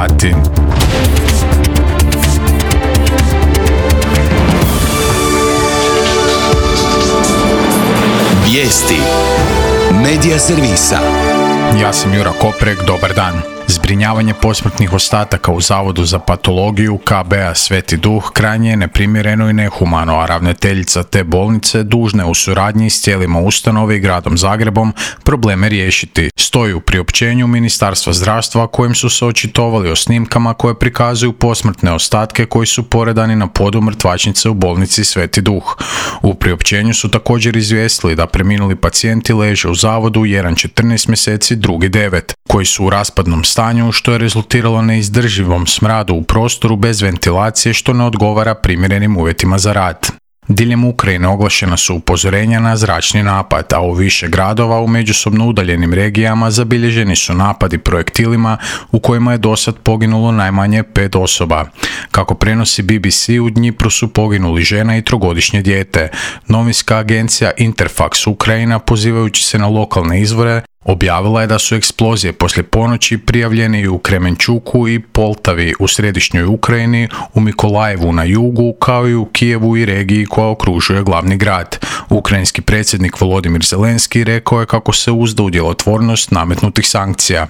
sati. Vijesti Medija servisa. Ja sam Jura Koprek, dobar dan. Zbrinjavanje posmrtnih ostataka u Zavodu za patologiju KB-a Sveti Duh krajnje je neprimjereno i nehumano, a ravnateljica te bolnice dužna je u suradnji s tijelima ustanove i gradom Zagrebom probleme riješiti. Stoji u priopćenju Ministarstva zdravstva kojim su se očitovali o snimkama koje prikazuju posmrtne ostatke koji su poredani na podu mrtvačnice u bolnici Sveti Duh. U priopćenju su također izvijestili da preminuli pacijenti leže u zavodu, jedan 14 mjeseci, drugi 9, koji su u raspadnom stanju, što je rezultiralo neizdrživom smradu u prostoru bez ventilacije, što ne odgovara primjerenim uvjetima za rad. Diljem Ukrajine oglašena su upozorenja na zračni napad, a u više gradova u međusobno udaljenim regijama zabilježeni su napadi projektilima u kojima je dosad poginulo najmanje 5 osoba. Kako prenosi BBC, u Dnjipru su poginuli žena i 3-godišnje dijete. Novinska agencija Interfax Ukrajina, pozivajući se na lokalne izvore, objavila je da su eksplozije poslije ponoći prijavljene i u Kremenčuku i Poltavi u središnjoj Ukrajini, u Mikolajevu na jugu, kao i u Kijevu i regiji koja okružuje glavni grad. Ukrajinski predsjednik Volodimir Zelenski rekao je kako se uzda u djelotvornost nametnutih sankcija.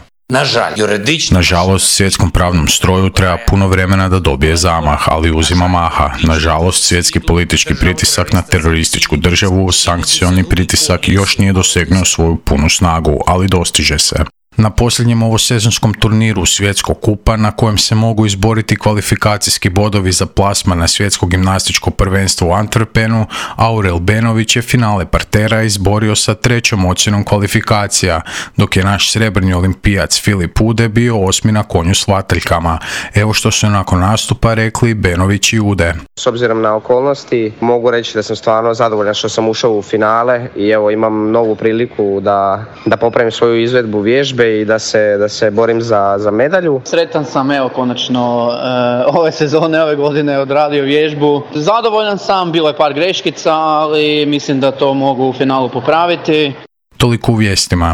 Nažalost, svjetskom pravnom stroju treba puno vremena da dobije zamah, ali uzima maha. Nažalost, svjetski politički pritisak na terorističku državu, sankcioni pritisak još nije dosegnuo svoju punu snagu, ali dostiže se. Na posljednjem ovosezonskom turniru Svjetskog kupa, na kojem se mogu izboriti kvalifikacijski bodovi za plasman na svjetsko gimnastičko prvenstvo u Antwerpenu, Aurel Benović je finale partera izborio sa 3. ocjenom kvalifikacija, dok je naš srebrni olimpijac Filip Ude bio 8. na konju s vataljkama. Evo što su nakon nastupa rekli Benović i Ude. S obzirom na okolnosti, mogu reći da sam stvarno zadovoljan što sam ušao u finale i evo imam novu priliku da popravim svoju izvedbu vježbe i da se borim za medalju. Sretan sam, evo konačno ove sezone, ove godine odradio vježbu. Zadovoljan sam, bilo je par greškica, ali mislim da to mogu u finalu popraviti. Toliko u vijestima.